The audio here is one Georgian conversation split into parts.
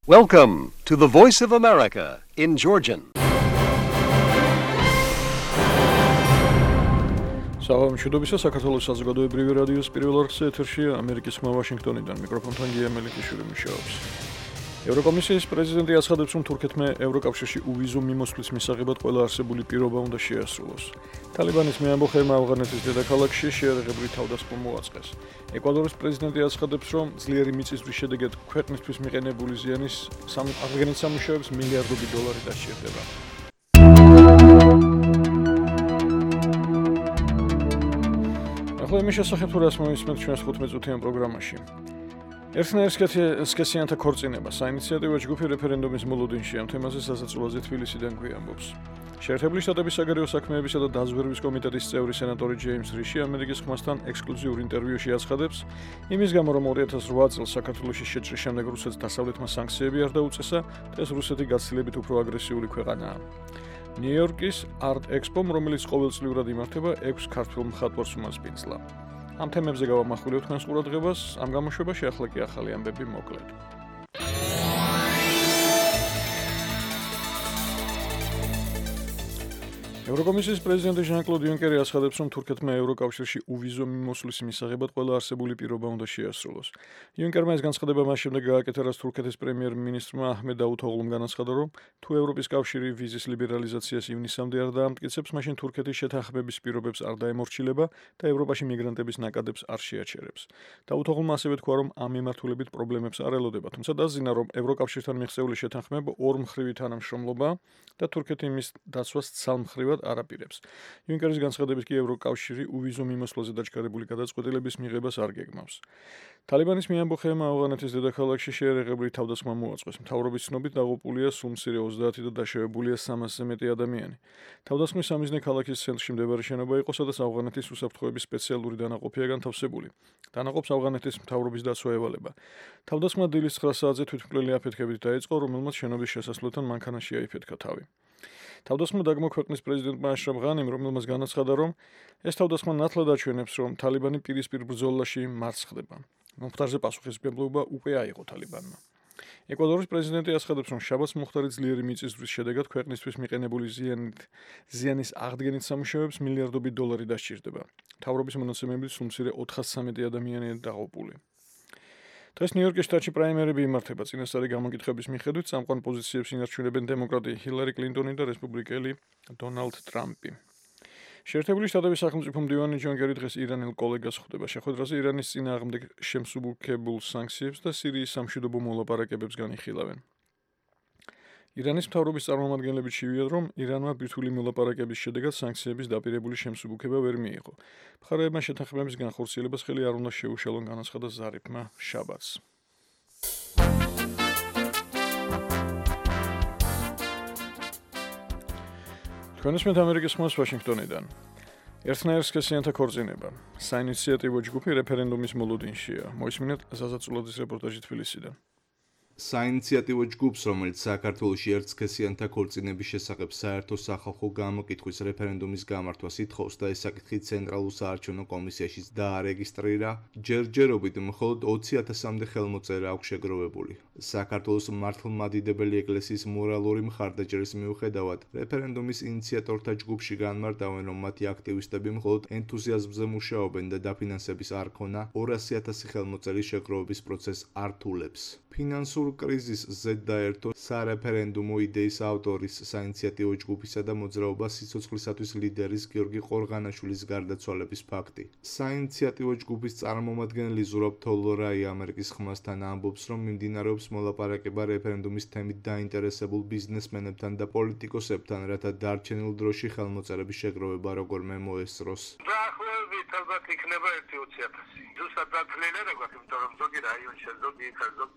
Welcome to the Voice of America in Georgian. Საღამო მშვიდობისა, საქართველოს საზოგადოებრივი რადიოს პირველ არხზე ეთერშია ამერიკის ხმა ვაშინგტონიდან მიკროფონთან გია მელიქიშვილი მუშაობს. ევროკომისიის პრეზიდენტი აცხადებს, რომ თურქეთმა ევროკავშირში უვიზო მიმოსვლის მისაღებად ყველა არსებული პირობა უნდა შეასრულოს. თალიბანის მეამბოხეებმა ავღანეთის დედაქალაქში შეერაღებული თავდასხმა მოაწყეს. ეკვადორის პრეზიდენტი აცხადებს, რომ ძლიერი მიწისძვრის შედეგად ქვეყნისთვის მიყენებული ზიანის აღდგენით სამუშაოებს მილიარდობით დოლარი დასჭირდება. ახლა იმის შესახებ თუ რას მოვისმენთ ჩვენს 15-წუთიან პროგრამაში. ერთნაირსკესიანთა ქორწინება საინიციატივო ჯგუფი რეფერენდუმის მოლოდინში ამ თემაზე სასაცილოზე თბილისიდან გვიამბობს. შეერთებული შტატების საგარეო საქმეებისა და დაზვერვის კომიტეტის წევრი სენატორი ჯეიმს რიში ამერიკის ხმასთან ექსკლუზიურ ინტერვიუში აცხადებს, იმის გამო რომ 2008 წელს საქართველოში შეჭრის შემდეგ რუსეთს დასავლეთმა სანქციები არ დაუწესა, დღეს რუსეთი გაცილებით უფრო აგრესიული ქვეყანაა. ნიუ-იორკის Art Expo-მ, რომელიც ყოველწლიურად იმართება, 6 ქართველ მხატვარს უმასპინძლა. ამ თემებზე გავამახვილებთ თქვენს ყურადღებას, ამ გამოშვებაში ახლა კი ახალი ამბები მოკლედ. ევროკომისიის პრეზიდენტი ჟან-კლოდ იუნკერი აცხადებს, რომ თურქეთმა ევროკავშირში უვიზო მიმოსვლის მისაღებად ყველა არსებული პირობა უნდა შეასრულოს. იუნკერმა ეს განცხადება მას შემდეგ გააკეთა, რაც თურქეთის პრემიერ-მინისტრმა აჰმედ დავუთოღლუმ განაცხადა, რომ თუ ევროპის კავშირი ვიზის ლიბერალიზაციას ივნისამდე არ დაამტკიცებს, მაშინ თურქეთის შეთანხმების პირობებს არ დაემორჩილება და ევროპაში მიგრანტების ნაკადებს არ შეაჩერებს. დავუთოღლუმ ასევე თქვა, რომ ამ მიმართულებით პრობლემებს არ ელოდება, თუმცა დაზიანა, რომ ევროკავშირთან მიღწეული შეთანხმება ორმხრივი თანამშრომლობაა და თურქეთი მის დაცვას ცალმხრივად არაპირებს. იუნკერის განცხადებით კი ევროკავშირი უვიზო მიმოსვლაზე დაჩქარებული გადაწყვეტილების მიღებას არ გეგმავს. თალიბანის მეამბოხეებმა ავღანეთის დედაქალაქში შეერაღებული თავდასხმა მოაწყეს. მთავრობის ცნობით დაღუპულია სულ მცირე 30 და დაშავებულია 300-ზე მეტი ადამიანი. თავდასხმის სამიზნე ქალაქის ცენტრში მდებარე შენობა იყო, სადაც ავღანეთის უსაფრთხოების სპეციალური დანაყოფია განთავსებული. დანაყოფს ავღანეთის მთავრობის დაცვა ევალება. თავდასხმა დილის 9 საათზე თვითმკვლელი აფეთქებით დაიწყო, რომელმაც შენობის შესასვლელთან მანქანაში აიფეთქა თავი. თავდასხმა დაგმოქვეყნეს პრეზიდენტმა აშრაფ ღანიმ, რომელმაც განაცხადა, რომ ეს თავდასხმა ნათლად აჩვენებს, რომ თალიბანი პირისპირ ბრძოლაში მარცხ ხდება. მომხდარზე პასუხისმგებლობა უკვე აიღო თალიბანმა. ეკვადორის პრეზიდენტი აცხადებს, რომ შაბათს მოხდარი ძლიერი მიწისძვრის შედეგად ქვეყნისთვის მიყენებული ზიანის აღდგენით სამუშაოებს მილიარდობით დოლარი დასჭირდება. მთავრობის მონაცემებით სულ მცირე 413 ადამიანია დაღუპული. დღეს ნიუ-იორკის შტატში პრაიმერები იმართება. წინასწარი გამოკითხების მიხედვით წამყვან პოზიციებს ინარჩუნებენ დემოკრატი ჰილარი კლინტონი და რესპუბლიკელი დონალდ ტრამპი. შეერთებული შტატების სახელმწიფო მდივანი ჯონ კერი დღეს ირანელ კოლეგას ხვდება. შეხვედრაზე ირანის წინააღმდეგ შემსუბუქებულ სანქციებს და სირიის სამშვიდობო მოლაპარაკებებს განიხილავენ. ირანის მთავრობის წარმომადგენლები ჩივიდნენ, რომ ირანმა ბირთვული მოლაპარაკების შედეგად სანქციების დაპირებული შემსუბუქება ვერ მიიღო. მხარეებმა შეთანხმების განხორციელებას ხელი არ უნდა შეუშალონ, განაცხადა ზარიფმა შაბათს. თქვენ ისმენთ ამერიკის ხმას ვაშინგტონიდან. ერთნაირსკესიანთა ქორწინება საინიციატივო ჯგუფი რეფერენდუმის მოლოდინშია. მოისმინეთ სასაცილოძის რეპორტაჟი თბილისიდან. საინიციატივო ჯგუფს, რომელიც საქართველოში ერთსქესიანთა ქორწინების შესახებ საერთო სახალხო გამოკითხვის რეფერენდუმის გამართვას ითხოვს და ეს საკითხი ცენტრალურ საარჩევნო კომისიაშიც დაარეგისტრირა, ჯერჯერობით მხოლოდ 20,000-მდე ხელმოწერა აქვს შეგროვებული. საქართველოს მართლმადიდებელი ეკლესიის მორალური მხარდაჭერის მიუხედავად, რეფერენდუმის ინიციატორთა ჯგუფში განმარტავენ, რომ მათი აქტივისტები მხოლოდ ენთუზიაზმზე მუშაობენ და დაფინანსების არ ქონა 200,000 ხელმოწერის შეგროვების პროცესს ართულებს. ფინანსურ კრიზისს ზედდაერთო სარეფერენდუმო იდეის ავტორის საინიციატივო ჯგუფისა და მოძრაობა სიცოცხლისათვის ლიდერის გიორგი ყორღანაშვილის გარდაცვალების ფაქტი. საინიციატივო ჯგუფის წარმომადგენელი ზურაბ თოლორაი ამერიკის ხმასთან ამბობს, რომ მიმდინარეობს მოლაპარაკება რეფერენდუმის თემით დაინტერესებულ ბიზნესმენებთან და პოლიტიკოსებთან, რათა დარჩენილ დროში ხელმოწერების შეგროვება როგორმე მოესწროს. დაახლოებით ალბათ იქნება 20,000. ზუსტად დათვლილი არ აქვს, იმიტომ რომ ზოგი რაიონში ზოგი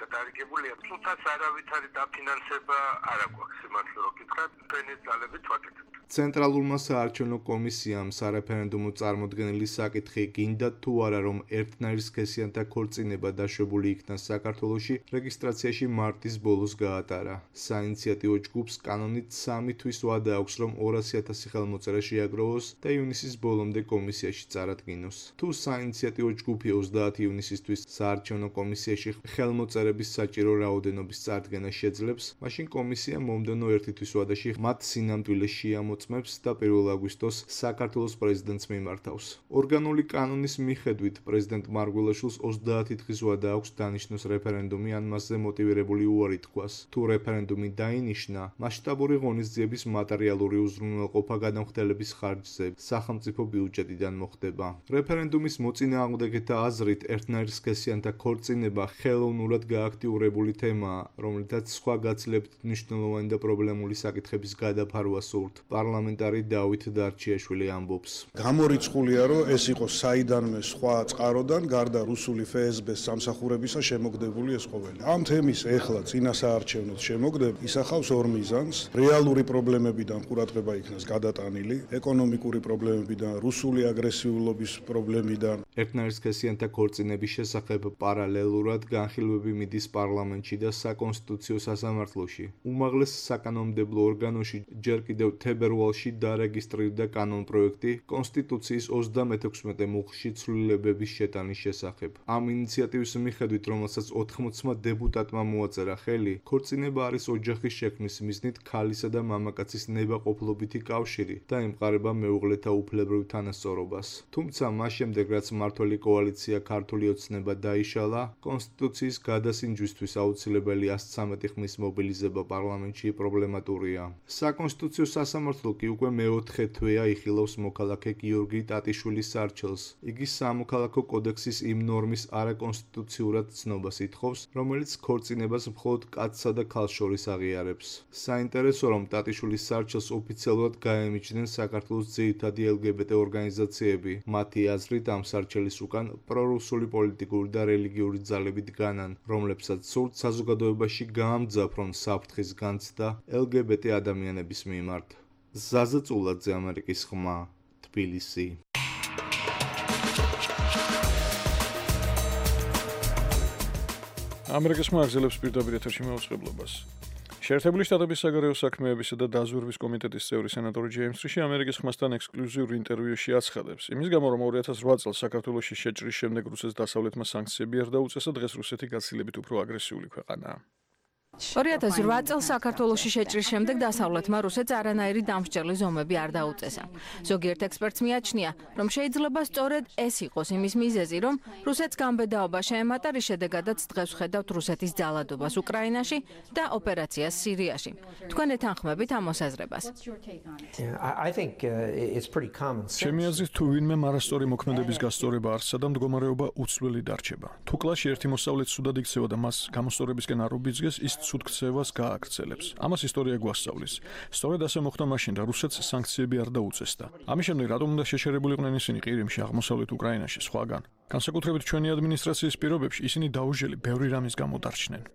გადარიგებულია. თუმცა არავითარი დაფინანსება არ აქვს, სიმართლე რომ გითხრათ, თქვენი ძალებით ვაკეთებთ. ცენტრალურმა საარჩევნო კომისიამ სარეფერენდუმო წარმოდგენილი საკითხი გინდა თუ არა რომ ერთნაირი სქესიანთა ქორწინება დაშვებული იქნა საქართველოში რეგისტრაციაში მარტის ბოლოს გაატარა. საინიციატივო ჯგუფს კანონით 3 თვის ვადა აქვს რომ 200,000 ხელმოწერა შეაგროვოს და ივნისის ბოლომდე კომისიაში წარადგინოს. თუ საინიციატივო ჯგუფი 30 ივნისისთვის საარჩევნო კომისიაში ხელმოწერების საჭირო რაოდენობის წარდგენა შეძლებს, მაშინ კომისია მომდევნო 1 თვის ვადაში მათ სინამდვილეს შეამოწმებს და 1 აგვისტოს საქართველოს პრეზიდენტს მიმართავს. ორგანული კანონის მიხედვით პრეზიდენტ მარგველაშვილს 30 დღის ვადა აქვს დანიშნოს რეფერენდუმი ან მასზე მოტივირებული უარი თქვას. თუ რეფერენდუმი დაინიშნა, მასშტაბური ღონისძიების მატერიალური უზრუნველყოფა გადამხდელების ხარჯზე სახელმწიფო ბიუჯეტიდან მოხდება. რეფერენდუმის მოწინააღმდეგეთა აზრით ერთნაირი სქესიანთა ქორწინება ხელოვნურად გააქტიურებული თემაა, რომლითაც სხვა გაცილებით მნიშვნელოვანი და პრობლემული საკითხების გადაფარვა სურთ. პარლამენტარი დავით დარჩიაშვილი ამბობს. გამორიცხულია, რომ ეს იყო საიდანმე სხვა წყაროდან, გარდა რუსული FSB-ს სამსახურებისა შემოგდებული ეს ყოველი. ამ თემის ეხლა წინასაარჩევნოდ შემოგდება ისახავს ორ მიზანს. რეალური პრობლემებიდან ყურადღება იქნას გადატანილი, ეკონომიკური პრობლემებიდან, რუსული აგრესიულობის პრობლემიდან. ერთნაირი სქესიანთა ქორწინების შესახებ პარალელურად განხილვები მიდის პარლამენტში და საკონსტიტუციო სასამართლოში. უმაღლეს საკანონმდებლო ორგანოში ჯერ კიდევ თებერვალში დარეგისტრირდა კანონპროექტი კონსტიტუციის 36 მუხლში ცვლილებების შეტანის შესახებ. ამ ინიციატივის მიხედვით, რომელსაც 80 დეპუტატმა მოაწერა ხელი, ქორწინება არის ოჯახის შექმნის მიზნით ქალისა და მამაკაცის ნებაყოფლობითი კავშირი და ემყარება მეუღლეთა უფლებრივ თანასწორობას. თუმცა მას შემდეგ, რაც მმართველი კოალიცია ქართული ოცნება დაიშალა, კონსტიტუციის გადასინჯვისთვის აუცილებელი 113 ხმის მობილიზება პარლამენტში პრობლემატურია. საკონსტიტუციო სასამართლო კი უკვე მეოთხე თვეა იხილავს მოქალაქე გიორგი ტატიშვილის სარჩელს. იგი სამოქალაქო კოდექსის იმ ნორმის არაკონსტიტუციურად ცნობას ითხოვს, რომელიც ქორწინებას მხოლოდ კაცსა და ქალს შორის აღიარებს. საინტერესო რომ ტატიშვილის სარჩელს ოფიციალურად გაემიჯნენ საქართველოს ძირითადი LGBT ორგანიზაციები. მათი აზრით ამ სარჩელის უკან პრორუსული პოლიტიკური და რელიგიური ძალები დგანან, რომლებსაც სურთ საზოგადოებაში გაამძაფრონ საფრთხის განცდა LGBT ადამიანების მიმართ. ზაზა წულაძე, ამერიკის ხმა, თბილისი. ამერიკის ხმა აგზელებს პირდაპირ ეთერში მეუწყებლობას. შეერთებული შტატების საგარეო საქმეებისა და დაზვერვის კომიტეტის წევრი სენატორი ჯეიმს რიში ამერიკის ხმასთან ექსკლუზიურ ინტერვიუში აცხადებს, იმის გამო რომ 2008 წელს საქართველოში შეჭრის შემდეგ რუსეთს დასავლეთმა სანქციები არ დაუწესა, დღეს რუსეთი გაცილებით უფრო აგრესიული ქვეყანაა. 2008 წელს საქართველოში შეჭრის შემდეგ დასავლეთმა რუსეთს არანაირი დამსჯელი ზომები არ დაუწესა. ზოგიერთ ექსპერტს მიაჩნია, რომ შეიძლება სწორედ ეს იყოს იმის მიზეზი, რომ რუსეთს გამბედაობა შეემატა, რის შედეგადაც დღეს ვხედავთ რუსეთის ძალადობას უკრაინაში და ოპერაციას სირიაში. თქვენ ეთანხმებით ამ მოსაზრებას? ჩემი აზრით, თუ ვინმე არასწორი მოქმედების გასწორება არსა და მდგომარეობა უცვლელი დარჩება. თუ კლასში ერთი მოსწავლე ცუდად იქცევა და მას გამოსწორებისკენ არ უბიძგეს, ის ცუდ ქცევას გააქცელებს. ამას ისტორია გვასწავლის. სწორედ ასე მოხდა მაშინ და რუსეთს სანქციები არ დაუწესდა. ამის შემდეგ რატომ უნდა შეშერებულიყვნენ ისინი ყირიმში, აღმოსავლეთ უკრაინაში, სხვაგან? განსაკუთრებით ჩვენი ადმინისტრაციის პირობებში ისინი დაუჟელი ბევრი რამის გამო დარჩნენ.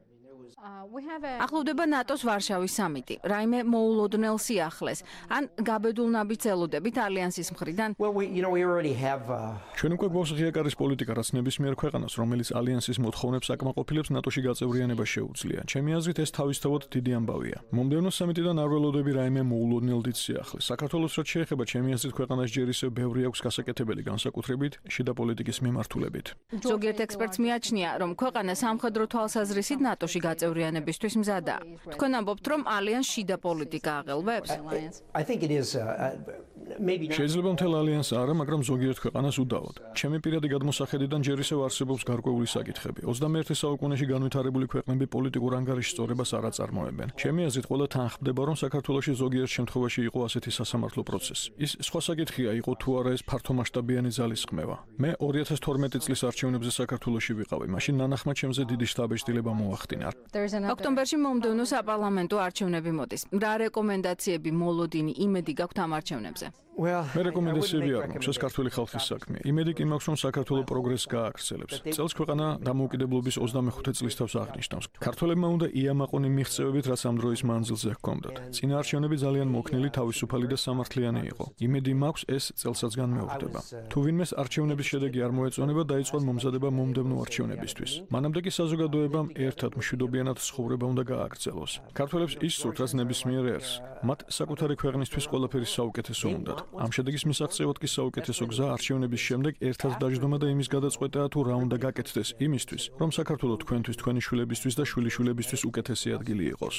ახლოვდება ნატოს ვარშავის სამიტი. რაიმე მოულოდნელ სიახლეს ან გაბედულ ნაბიჯს ელოდებით ალიანსის მხრიდან? ჩვენ უკვე გვაქვს ღიაკარის პოლიტიკა, რაც ნებისმიერ ქვეყანას, რომელიც ალიანსის მოთხოვნებს აკმაყოფილებს, ნატოში გაწევრიანება შეუძლია. ჩემი აზრით, ეს თავისთავად დიდი ამბავია. მომდევნო სამიტიდან არ ველოდები რაიმე მოულოდნელ დიდ სიახლეს. საქართველოს რაც შეეხება, ჩემი აზრით, ქვეყანას ჯერ ისევ ბევრი აქვს გასაკეთებელი, განსაკუთრებით შიდა პოლიტიკის მიმართულებით. ზოგიერთ ექსპერტს მიაჩნია, რომ ქვეყანა სამხედრო თვალსაზრისით ნატოში გაწევრიანებისთვის მზადაა. თქვენ ამბობთ, რომ ალიანს შიდა პოლიტიკა აღელვებს? შეიძლება მთელ ალიანსს არა, მაგრამ ზოგიერთ ქვეყანას უდავოდ. ჩემი პირადი გადმოსახედიდან ჯერ ისევ არსებობს გარკვეული საკითხები. 21 საუკუნეში განვითარებული ქვეყნები პოლიტიკურ ანგარიშ სწორებას არ აწარმოებენ. ჩემი აზრით, ყველა თანხმდება, რომ საქართველოში ზოგიერთ შემთხვევაში იყო ასეთი სასამართლო პროცესი. ის სხვა საკითხია, იყო თუ არა ეს ფართომასშტაბიანი ძალისხმევა. მე 2012 წლის არჩევნებზე საქართველოში ვიყავი. მაშინ ნანახმა ჩემზე დიდი შთაბეჭდილება მოახდინა. ოქტომბერში მომდევნო საპარლამენტო არჩევნები მოდის. რა რეკომენდაციები, მოლოდინი, იმედი გაქვთ ამ არჩევნებზე? მე რეკომენდაციები არ მაქვს, ეს ქართული ხალხის საქმეა. იმედი კი მაქვს, რომ საქართველო პროგრესს გააგრძელებს. წელს ქვეყანა დამოუკიდებლობის 25 წლის თავს აღნიშნავს. ქართველებმა უნდა იამაყონი მიღწევებით, რაც ამ დროის მანძილზე ჰქონდათ. წინა არჩევნები ძალიან მოქნილი, თავისუფალი და სამართლიანი იყო. იმედი მაქვს, ეს წელსაც განმეორდება. თუ ვინმეს არჩევნების შედეგი არ მოეწონება, დაიწყონ მომზადება მომდევნო არჩევნებისთვის. მანამდე კი საზოგადოებამ ერთად მშვიდობიანად ცხოვრება უნდა გააგრძელოს. ქართველებს ის სურთ, რაც ნებისმიერ ერს. მათ საკუთარი ქვეყნისთვის ყველაფერი საუკეთესო უნდათ. ამ შედეგის მისაღწევად კი საუკეთესო გზა არჩევნების შემდეგ ერთად დაждომა და იმის გადაწყვეტაა თუ რა უნდა გაკეთდეს იმისთვის, რომ საქართველო თქვენთვის, თქვენი შვილებისთვის და შვილიშვილებისთვის უკეთესი ადგილი იყოს.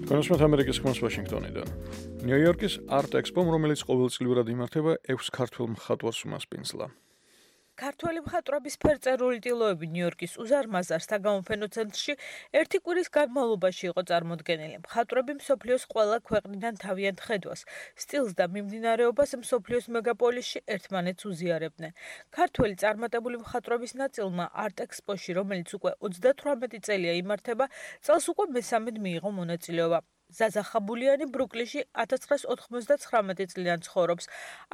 კონსუმატ ამერიკის ხმას ვაშინგტონიდან. ნიუ-იორკის Art Expo, რომელიც ყოველწლიურად იმართება, 6 ქართველ მხატვარს უმასპინძლა. ქართველი მხატვრობის ფერწერული ტილოები ნიუ-იორკის უზარმაზარ საგამოფენო ცენტრში ერთი კვირის განმავლობაში იყო წარმოდგენილი. მხატვრები მსოფლიოს ყველა ქვეყნიდან თავიანთ ხედვას, სტილს და მიმდინარეობას მსოფლიოს მეგაპოლისში ერთმანეთს უზიარებდნენ. ქართველი წარმატებული მხატვრობის ნაწილმა Art Expo-ში, რომელიც უკვე 38 წელია იმართება, წელს უკვე მესამედ მიიღო მონაწილეობა. ზაზა ხაბულიანი ბრუკლინში 1999 წლიდან ცხოვრობს.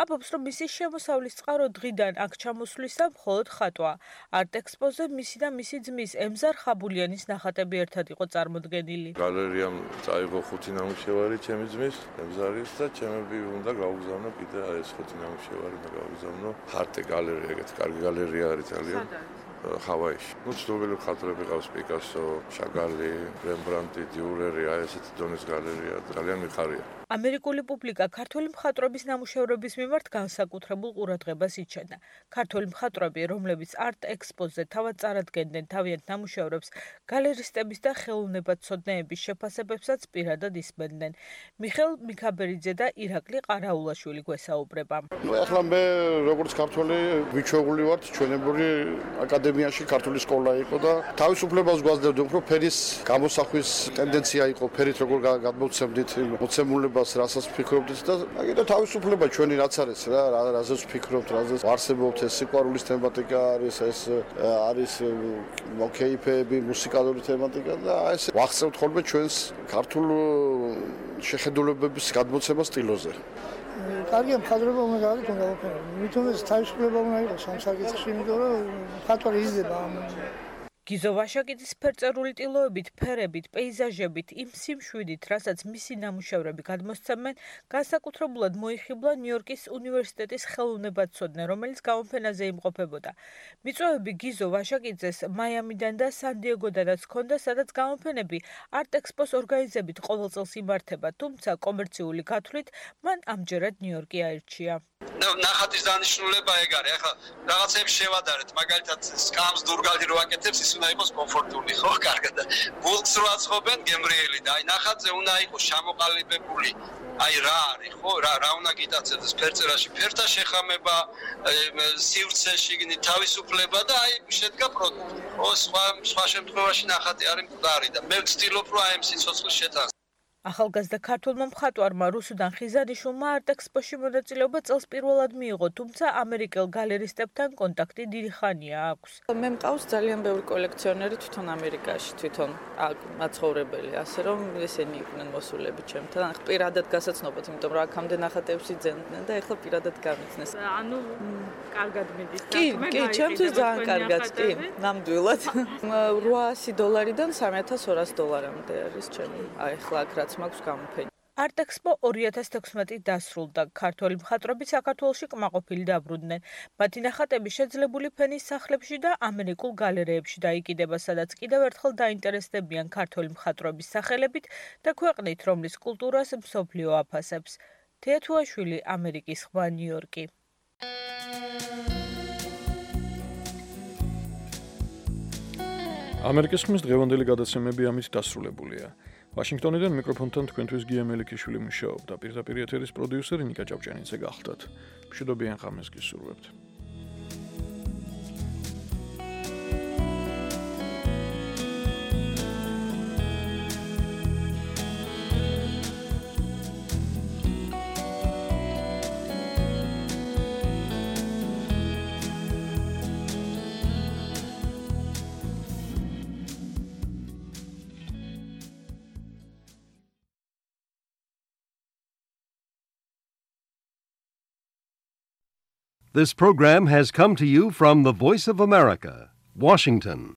ამბობს, რომ მისი შემოსავლის წყარო დღიდან აქ ჩამოსვლისა მხოლოდ ხატვაა. Art Expo-ზე მისი და მისი ძმის ემზარ ხაბულიანის ნახატები ერთად იყო წარმოდგენილი. გალერიამ წაიღო 5 ნამუშევარი ჩემი ძმის, ემზარის და ჩემები უნდა გავუგზავნო კიდე ეს 5 ნამუშევარი და გავუგზავნო Arte გალერეა, ეგეთი კარგი გალერეა არის ძალიან. ჰავაიში. ცნობილი მხატვრები ყავს პიკასო, შაგალი, რემბრანტი, დიურერი, ესეთი დონის გალერეა, ძალიან მიხარია. ამერიკული პუბლიკა ქართული მხატვრობის ნამუშევრების მიმართ განსაკუთრებულ ყურადღებას იჩენდა. ქართული მხატვრები, რომლებიც Art Expo-ზე თავად წარადგენდნენ თავიანთ ნამუშევრებს, გალერისტების და ხელოვნებაცოდნეების შეფასებებსაც პირადად ისმენდნენ. მიხელ მიქაბერიძე და ირაკლი ყარაულაშვილი გვესაუბრება. ახლა მე როგორც ქართველი ვიჩვეული ვარ ჩვენებური აკადემიაში ქართული სკოლა იყო და თავისუფლებას გვაძლევდა უფრო ფერის გამოსახვის ტენდენცია იყო, ფერით როგორ გადმოვცემდით მოცემულებას, რასაც ვფიქრობდით და აგიდა თავისუფლება ჩვენი რაც არის რა, რაზეც ვფიქრობთ, რაზეც ვარსებობთ, ეს სიყვარულის თემატიკა არის, ეს არის მოკეიფეები, მუსიკალური თემატიკა და ეს ვახცევთ ხოლმე ჩვენს ქართულ შეხედულებების გადმოცემა სტილოზე. კარგია მხატვრობა უნდა გავიქონ გავაფერო. მithom ეს თავისუფლება უნდა იყოს ამ საკითხში, იმიტომ რომ მხატვარი იზრდება ამ გიზო ვაშაკიძის ფერწერული ტილოებით, ფერებით, პეიზაჟებით, იმ სიმშვიდით, რასაც მისი ნამუშევრები გადმოსცემენ, განსაკუთრებულად მოიხიბლა ნიუ-იორკის უნივერსიტეტის ხელოვნებაცოდნე, რომელიც გამოფენაზე იმყოფებოდა. მიწვევები გიზო ვაშაკიძეს მაიამიდან და სან-დიეგოდანაც ჰქონდა, სადაც გამოფენები Art Expo-s ორგანიზებით ყოველ წელს იმართება, თუმცა კომერციული გათვლით მან ამჯერად ნიუ-იორკი აირჩია. ნახატის დანიშნულება ეგ არის. ახლა რაღაცებს შევადარეთ, მაგალითად სკამს დურგალი რო აკეთებს, ის უნდა იყოს კომფორტული, ხო, კარგად. გულს რო აწყობენ გემრიელი და აი ნახატზე უნდა იყოს ჩამოყალიბებული. აი რა არის, ხო, რა უნდა გიტაცებდეს ფერწერაში, ფერთა შეხამება, სივრცე, შიგნით თავისუფლება და აი შედგა პროდუქტი. ხო, სხვა შემთხვევაში ნახატი არის მკვდარი და მე ვცდილობ რომ აი ამ სიცოცხლის შეტანს. ახალგაზრდა ქართულმა მხატვარმა რუსუდან ხიზანიშვილმა Art Expo-ში მონაწილეობა წელს პირველად მიიღო, თუმცა ამერიკელ გალერისტებთან კონტაქტი დიდი ხანია აქვს. მე მყავს ძალიან ბევრი კოლექციონერი თვითონ ამერიკაში, თვითონ მაცხოვრებელი, ასე რომ ესენი იყვნენ მოსულები ჩემთან. პირადად გასაცნობად, იმიტომ რომ აქამდე ნახატებს იძენდნენ და ეხლა პირადად გამიცნეს. ანუ კარგად მიდის. კი, ჩემთვის ძალიან კარგად, კი, ნამდვილად. $800-დან $3,200-მდე არის ჩემი. აი ახლა აქ რაც მაქვს გამოფენი. Art Expo 2016 დასრულდა. ქართველი მხატვრები საქართველოში კმაყოფილი დაბრუნდნენ. მათი ნახატები შეძლებული ფენის სახლებში და ამერიკულ გალერეებში დაიკიდება, სადაც კიდევ ერთხელ დაინტერესდებიან ქართველი მხატვრობის სახელებით და ქვეყნით, რომლის კულტურას მსოფლიო აფასებს. თეათუაშვილი, ამერიკის ხმა, ნიუ-იორკი. ამერიკის ხმის დღევანდელი გადაცემები ამით დასრულებულია. ვაშინგტონიდან მიკროფონთან თქვენთვის გია მელიქიშვილი მუშაობდა. პირდაპირ ეთერის პროდიუსერი ნიკა ჭავჭიანიძე გახლდათ. მშვიდობიან ღამეს გისურვებთ. This program has come to you from the Voice of America, Washington.